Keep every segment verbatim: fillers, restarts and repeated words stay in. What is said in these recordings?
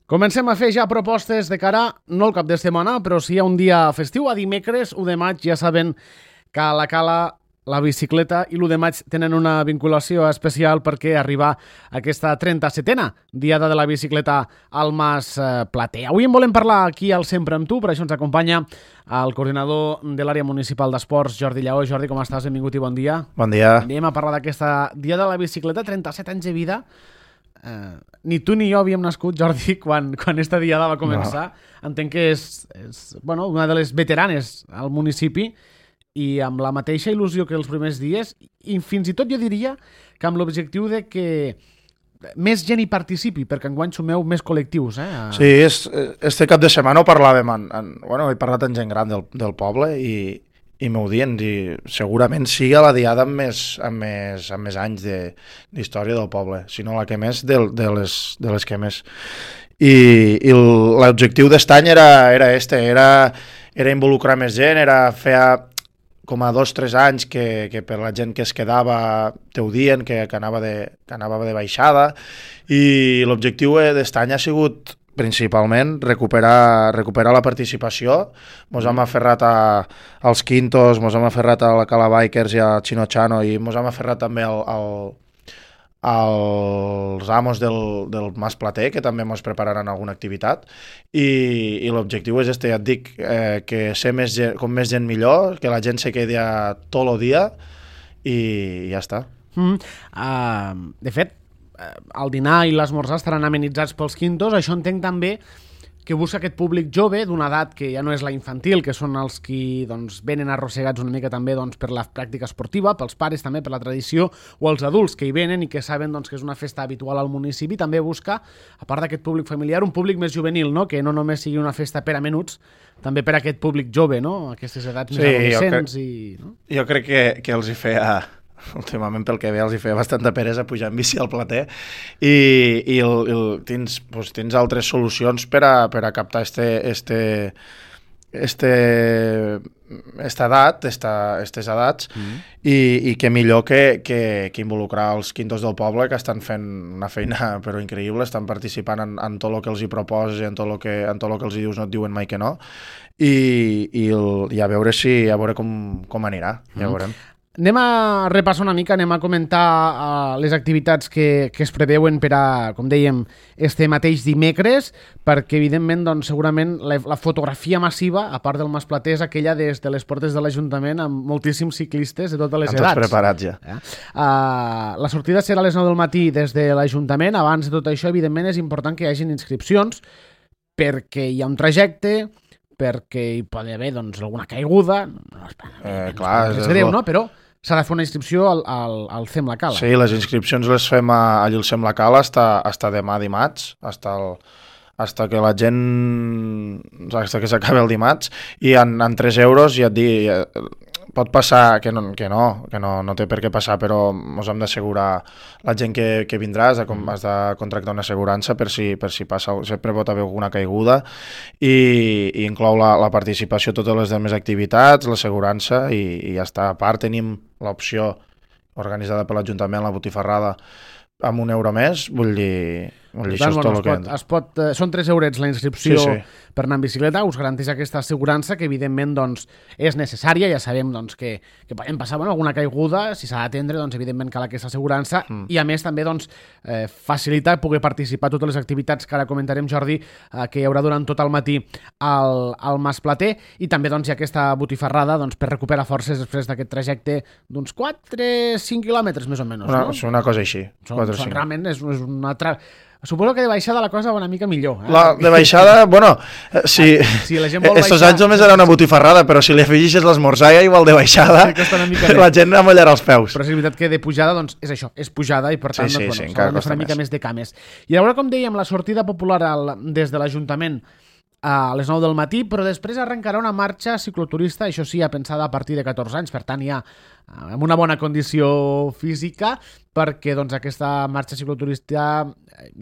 Comencem a fer ja propostes de cara, no al cap de setmana, però sí a un dia festiu, a dimecres, u de maig. Ja saben que a la Cala la bicicleta i l'u de maig tenen una vinculació especial perquè arriba aquesta trenta-setena Diada de la Bicicleta al Mas Plater. Avui en volem parlar aquí al Sempre amb tu, per això ens acompanya el coordinador de l'àrea municipal d'esports, Jordi Lleó. Jordi, com estàs? Benvingut i bon dia. Bon dia. Anem a parlar d'aquesta Diada de la Bicicleta, trenta-set anys de vida. Uh, ni tu ni jo havíem nascut, Jordi, quan, quan esta diada va començar. No. Entenc que és, és bueno, una de les veteranes al municipi i amb la mateixa il·lusió que els primers dies, i fins i tot jo diria que amb l'objectiu de que més gent hi participi, perquè enguany sumeu més col·lectius. Eh? Sí, és, este cap de setmana ho parlàvem, en, en, bueno, he parlat amb gent gran del, del poble i i m'ho dient, i segurament sigui la diada amb més, amb més, amb més anys d'història de, del poble, sinó la que més de, de, les, de les que més. I, i l'objectiu d'est any era, era este, era, era involucrar més gent, era fer com a dos o tres anys que, que per la gent que es quedava t'ho dient, que, que, anava de, que anava de baixada, i l'objectiu d'est any ha sigut principalment recuperar, recuperar la participació. Mos hem aferrat a, als Quintos, mos hem aferrat a la Cala Bikers i a Chino Chano, i mos hem aferrat també al, al, als amos del, del Mas Plater, que també mos prepararan alguna activitat, i, i l'objectiu és este, ja et dic, eh, que ser més gent, com més gent millor, que la gent se quedi tot el dia, i ja està. Mm, uh, de fet, el dinar i l'esmorzar estaran amenitzats pels Quintos. Això entenc també que busca aquest públic jove d'una edat que ja no és la infantil, que són els qui doncs, venen arrossegats una mica també doncs, per la pràctica esportiva, pels pares també, per la tradició, o els adults que hi venen i que saben doncs, que és una festa habitual al municipi. També busca, a part d'aquest públic familiar, un públic més juvenil, no? Que no només sigui una festa per a menuts, també per a aquest públic jove, no? Aquestes edats sí, més adolescents. Jo, i, no? jo crec que, que els hi feia... últimament, pel que ve, els hi feia bastanta peresa pujar en bici al Plater, i, i el, el, tens, pues, tens altres solucions per a, per a captar este, este, este, esta edat, esta, estes edats, mm. i, i que millor que, que, que involucrar els Quintos del poble, que estan fent una feina però increïble, estan participant en, en tot el que els hi proposes i en tot el que, en tot el que els hi dius no et diuen mai que no, i, i, el, i a veure si a veure com, com anirà, ja mm. veurem. Anem a repassar una mica, anem a comentar uh, les activitats que, que es preveuen per a, com dèiem, este mateix dimecres, perquè, evidentment, doncs, segurament la, la fotografia massiva, a part del Mas Plater, és aquella des de les portes de l'Ajuntament amb moltíssims ciclistes de totes les edats. Tots preparats ja. Eh? Uh, la sortida serà a les nou del matí des de l'Ajuntament. Abans de tot això, evidentment, és important que hi hagin inscripcions, perquè hi ha un trajecte, perquè hi pot haver doncs, alguna caiguda. No, eh, clar, és, és greu, no? Però s'ha de fer una inscripció al, al, al Fem la Cala. Sí, les inscripcions les fem a, allà al Fem la Cala hasta, hasta demà dimarts, hasta, el, hasta que la gent, hasta que s'acabi el dimarts, i en, en tres euros, ja et dic, pot passar, que no, que no, que no, no té per què passar, però ens hem d'assegurar la gent que, que vindrà, has de, has de contractar una assegurança per si, per si passa, sempre pot haver alguna caiguda, i, i inclou la, la participació a totes les demés activitats, l'assegurança, i, i ja està. A part tenim l'opció organitzada per l'Ajuntament, la botifarrada, amb un euro més, vull dir, vull dir tant, això és bueno, tot el que que... Es pot, eh, són tres eurets la inscripció sí, sí. per anar en bicicleta, us garanteix aquesta assegurança que evidentment doncs, és necessària. Ja sabem doncs, que, que podem passar bueno, alguna caiguda, si s'ha d'atendre, doncs, evidentment cal aquesta assegurança, mm. i a més també doncs, eh, facilitar poder participar a totes les activitats que ara comentarem, Jordi, eh, que hi haurà durant tot el matí al, al Mas Plater, i també doncs, hi ha aquesta botifarrada doncs, per recuperar forces després d'aquest trajecte d'uns quatre a cinc quilòmetres més o menys. Una, no? una cosa així. Són, són realment és, és una altra... Suposo que de baixada la cosa va una mica millor. Eh? La, de baixada, bueno, si, si la gent vol estos baixar... anys només era una botifarrada, però si li afegixes l'esmorzar ja igual de baixada, sí, la gent amollarà els peus. Però és veritat que de pujada, doncs, és això, és pujada, i per tant, sí, sí, doncs, sí, bueno, s'ha de fer una mica més. més de cames. I a veure, com dèiem, la sortida popular al, des de l'Ajuntament a les nou del matí, però després arrencarà una marxa cicloturista, això sí, ja pensada a partir de catorze anys, per tant ja amb una bona condició física, perquè doncs, aquesta marxa cicloturista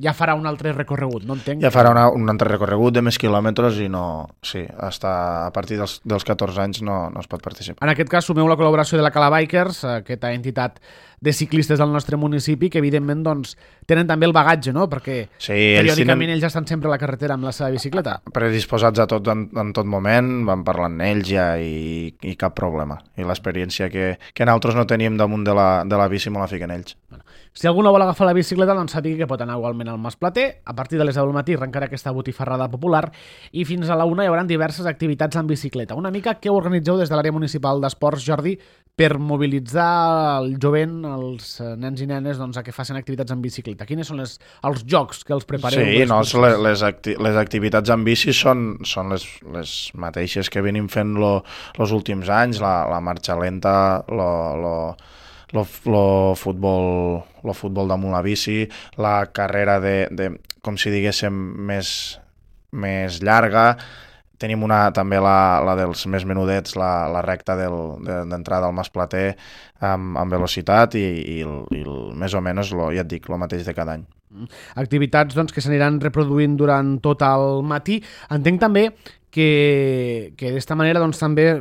ja farà un altre recorregut, no entenc? Ja farà una, un altre recorregut de més quilòmetres i no, sí, hasta a partir dels, dels catorze anys no, no es pot participar. En aquest cas sumeu la col·laboració de la Cala Bikers, aquesta entitat de ciclistes del nostre municipi que evidentment doncs, tenen també el bagatge, no? Perquè sí, ells periòdicament tenen... ells ja estan sempre a la carretera amb la seva bicicleta. Predisposats a tot en, en tot moment, van parlant amb ells ja i, i cap problema. I l'experiència que, que nosaltres no teníem damunt de la, de la bici me la fiquen ells. Bueno, si algú no vol agafar la bicicleta, doncs sàpiga que pot anar igualment al Mas Plater. A partir de les deu del matí arrencarà aquesta botifarrada popular i fins a la una hi haurà diverses activitats en bicicleta. Una mica què organitzeu des de l'àrea municipal d'esports, Jordi, per mobilitzar el jovent, els nens i nenes, doncs, a que facin activitats en bicicleta? Quines són les, els jocs que els prepareu? Sí, no, les, les, acti les activitats en bici són, són les, les mateixes que venim fent lo, los últims anys, la, la marxa lenta, lo, lo, lo, lo, futbol, lo futbol damunt la bici, la carrera de, de com si diguéssim, més, més llarga. Tenim una, també la, la dels més menudets, la, la recta d'entrada del, al Mas Plater amb, amb velocitat i, i, el, i el, més o menys, lo, ja et dic, el mateix de cada any. Activitats doncs, que s'aniran reproduint durant tot el matí. Entenc també que, que d'esta manera doncs, també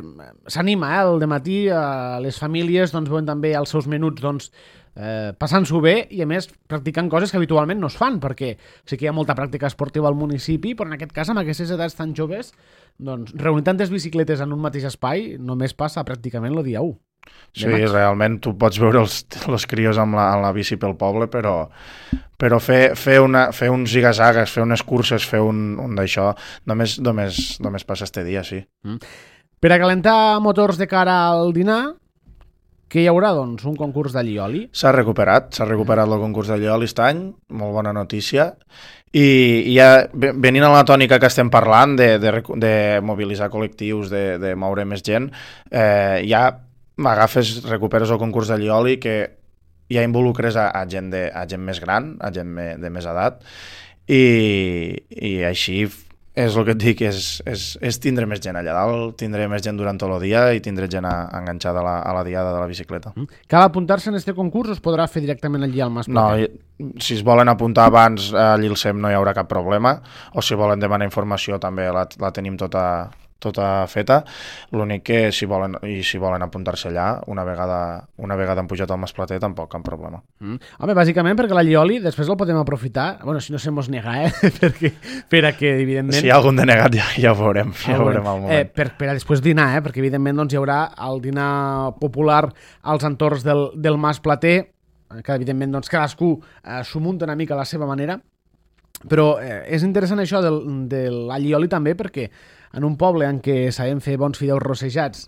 s'anima eh, el dematí a les famílies, doncs, veuen també els seus menuts doncs, eh, passant-s'ho bé i a més practicant coses que habitualment no es fan, perquè sí que hi ha molta pràctica esportiva al municipi, però en aquest cas amb aquestes edats tan joves doncs, reunir tantes bicicletes en un mateix espai només passa pràcticament el dia u. Sí, realment tu pots veure els, els crios amb la, amb la bici pel poble, però, però fer, fer, una, fer uns zigazagues, fer unes curses, fer un, un d'això, només, només, només passa este dia, sí. Mm. Per a calentar motors de cara al dinar, què hi haurà, doncs? Un concurs d'allioli? S'ha recuperat, s'ha recuperat el concurs d'allioli aquest any, molt bona notícia, i, i ja venint a la tònica que estem parlant de, de, de mobilitzar col·lectius, de, de moure més gent, eh, ja m'agafes, recuperes el concurs d'allioli que ja involucres a, a, gent de, a gent més gran, a gent me, de més edat, i, i així és el que et dic, és, és, és tindre més gent allà dalt, tindré més gent durant tot el dia i tindré gent a, enganxada a la, a la diada de la bicicleta. Cal apuntar-se en aquest concurs o es podrà fer directament allí al Mas Plater? No, si es volen apuntar abans allí al S E M no hi haurà cap problema, o si volen demanar informació també la, la tenim tota... tota feta, l'únic que si volen, i si volen apuntar-se allà una vegada, una vegada han pujat al Mas Plater tampoc cap problema. Mm. Home, bàsicament perquè l'allioli després el podem aprofitar, bueno, si no se mos nega, eh? perquè, per a que evidentment... Si hi ha algun denegat ja, ja ho veurem, ja ho veurem al moment. Eh, per, per a després dinar, eh? perquè evidentment doncs, hi haurà el dinar popular als entorns del, del Mas Plater, que evidentment doncs, cadascú eh, s'ho munta una mica a la seva manera, però eh, és interessant això del, de l'allioli també perquè en un poble en què sabem fer bons fideus rossejats,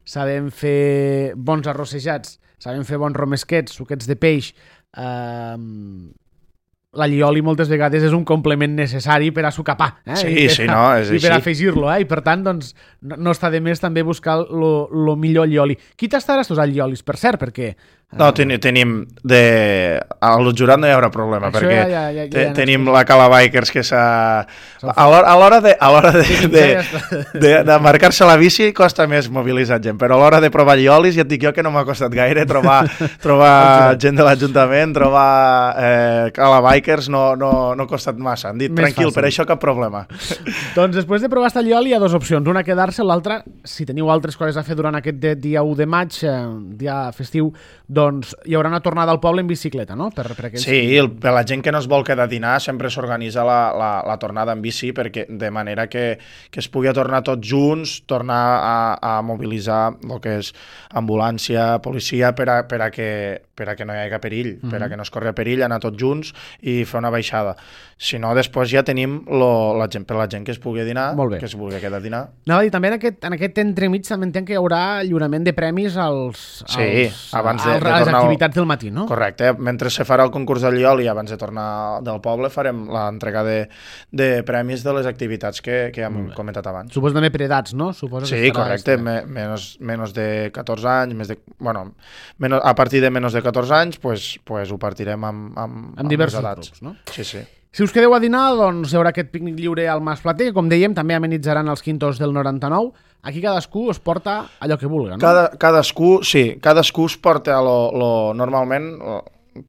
sabem fer bons arrossejats, sabem fer bons romesquets, suquets de peix, eh, l'allioli moltes vegades és un complement necessari per a sucar pa. Eh? Sí, I per, sí, no, és i així. per afegir-lo, eh? I per tant, doncs, no, no està de més també buscar el millor allioli. Qui tastarà estos alliolis, per cert, perquè... No, ten, tenim de... Al jurat no hi haurà problema, Això perquè ja, ja, ja, te, ja tenim la Cala Bikers que s'ha... A l'hora de, a l'hora de, de, de, de marcar-se la bici costa més mobilitzar gent, però a l'hora de provar alliolis ja et dic jo que no m'ha costat gaire trobar, trobar gent de l'Ajuntament, trobar eh, Cala Bikers no, no, no ha costat massa. Han dit, Més tranquil, fàcil. per això cap problema. Doncs després de provar aquest allioli hi ha dues opcions. Una, quedar-se, l'altra, si teniu altres coses a fer durant aquest dia u de maig, eh, dia festiu, doncs hi haurà una tornada al poble en bicicleta, no? Per, per aquells... Sí, el, per la gent que no es vol quedar a dinar sempre s'organitza la, la, la tornada en bici perquè, de manera que, que es pugui tornar tots junts, tornar a, a mobilitzar el que és ambulància, policia, per a, per a, que, per a que no hi hagi perill, mm-hmm. per a que no es corri perill, anar tots junts i fer una baixada. Si no, després ja tenim lo, la gent, per la gent que es pugui dinar, que es vulgui quedar a dinar. Anava a dir, també en aquest, en aquest entremig també entenc que hi haurà lliurament de premis als, sí, als, abans de, als, de a les tornar activitats del matí, no? Correcte. Mentre se farà el concurs del Llioli, abans de tornar del poble, farem l'entrega de, de premis de les activitats que, que hem comentat abans. Suposo també per edats, no? Suposo sí, correcte. Me, menos, menos de catorze anys, més de, bueno, menos, a partir de menys de catorze anys, pues, pues ho partirem amb, amb, amb diversos edats. grups, no? Sí, sí. Si us quedeu a dinar, doncs hi haurà aquest pícnic lliure al Mas Plater, que com dèiem també amenitzaran els quintos del noranta-nou. Aquí cadascú es porta allò que vulga, no? Cada, cadascú, sí, cadascú es porta lo, lo, normalment... Lo,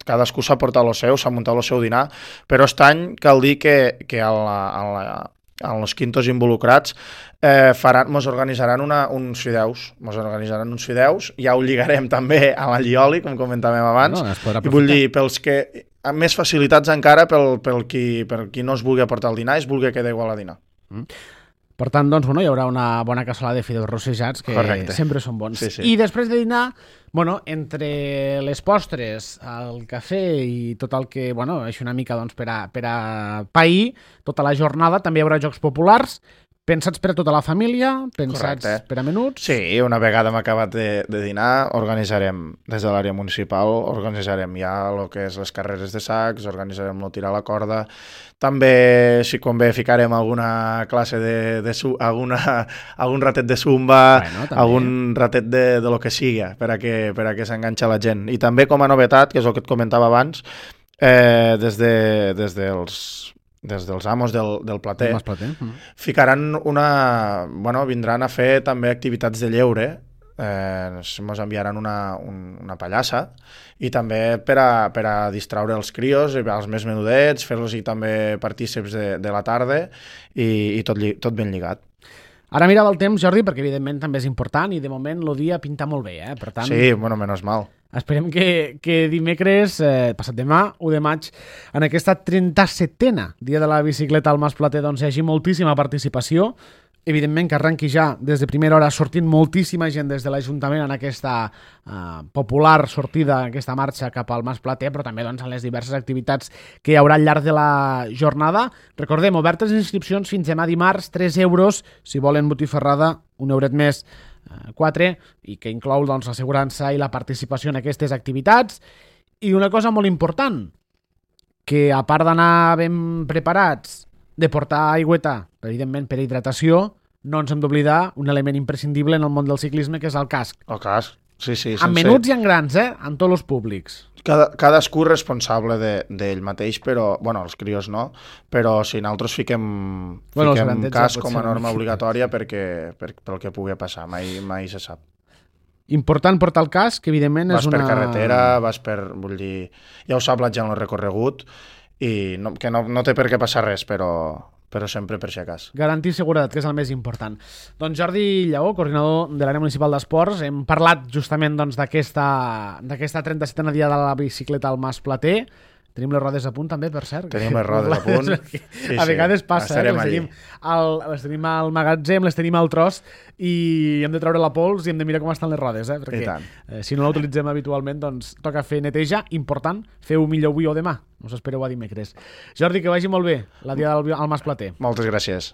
cadascú s'ha portat el seu, s'ha muntat el seu dinar, però aquest any cal dir que, que a la, a la, els quintos involucrats, eh, faran, mos organitzaran una, uns fideus, mos organitzaran uns fideus, ja ho lligarem també a l'allioli, com comentàvem abans, no, i vull dir, pels que, amb més facilitats encara pel, pel, qui, per qui no es vulgui aportar el dinar, es vulgui quedar igual a dinar. Mm. Per tant, doncs, bueno, hi haurà una bona cassolada de fideus rossejats, que Correcte. Sempre són bons. Sí, sí. I després de dinar, bueno, entre les postres, el cafè i tot el que, bueno, és una mica doncs, per, a, per a pair tota la jornada, també hi haurà jocs populars, pensats per a tota la família, pensats Correcte. Per a menuts... Sí, una vegada hem acabat de, de dinar, organitzarem, des de l'àrea municipal, organitzarem ja el que és les carreres de sacs, organitzarem el tirar a la corda, també, si convé, ficarem alguna classe de... de su, alguna, algun ratet de zumba, bueno, algun ratet de, de lo que sigui, per a que, per a que s'enganxa la gent. I també, com a novetat, que és el que et comentava abans, eh, des, de, des dels... des dels amos del, del plater, plater. Mm. ficaran una... Bueno, vindran a fer també activitats de lleure, eh, ens enviaran una, un, una pallassa, i també per a, per a distraure els crios, els més menudets, fer-los també partíceps de, de la tarda, i, i tot, tot ben lligat. Ara mirava el temps, Jordi, perquè evidentment també és important, i de moment el dia pinta molt bé, eh? Per tant... Sí, bueno, menys mal. Esperem que, que dimecres, eh, passat demà, u de maig, en aquesta trenta-setena dia de la bicicleta al Mas Plater, doncs hi hagi moltíssima participació. Evidentment que arrenqui ja des de primera hora sortint moltíssima gent des de l'Ajuntament en aquesta eh, popular sortida, aquesta marxa cap al Mas Plater, però també doncs, en les diverses activitats que hi haurà al llarg de la jornada. Recordem, obertes les inscripcions fins demà dimarts, tres euros, si volen botifarrada, un euret més, quatre, i que inclou doncs, l'assegurança i la participació en aquestes activitats. I una cosa molt important, que a part d'anar ben preparats, de portar aigüeta, evidentment per hidratació, no ens hem d'oblidar un element imprescindible en el món del ciclisme, que és el casc. El casc, sí, sí. En menuts i en grans, eh? En tots els públics. Cada, cadascú responsable d'ell de, mateix, però, bueno, els crios no, però si nosaltres fiquem, bueno, fiquem casc com a norma obligatòria perquè, per, pel que pugui passar, mai, mai se sap. Important portar el casc, que evidentment vas és una... Vas per carretera, vas per... Vull dir, ja ho sap la gent el recorregut, i no, que no, no té per què passar res, però... però sempre per si acas. Garantir seguretat, que és el més important. Doncs Jordi Lleó, coordinador de l'àrea municipal d'esports, hem parlat justament doncs, d'aquesta d'aquesta trenta-setena dia de la bicicleta al Mas Plater. Tenim les rodes a punt també, per cert. Tenim les rodes a punt. Sí, a vegades passa, eh, les tenim, al, les tenim al magatzem, les tenim al tros i hem de treure la pols i hem de mirar com estan les rodes, eh, perquè eh, si no l'utilitzem habitualment, doncs toca fer neteja. Important, feu millor avui o demà. Us espereu a dimecres. Jordi, que vagi molt bé la dia del al Mas Plater. Moltes gràcies.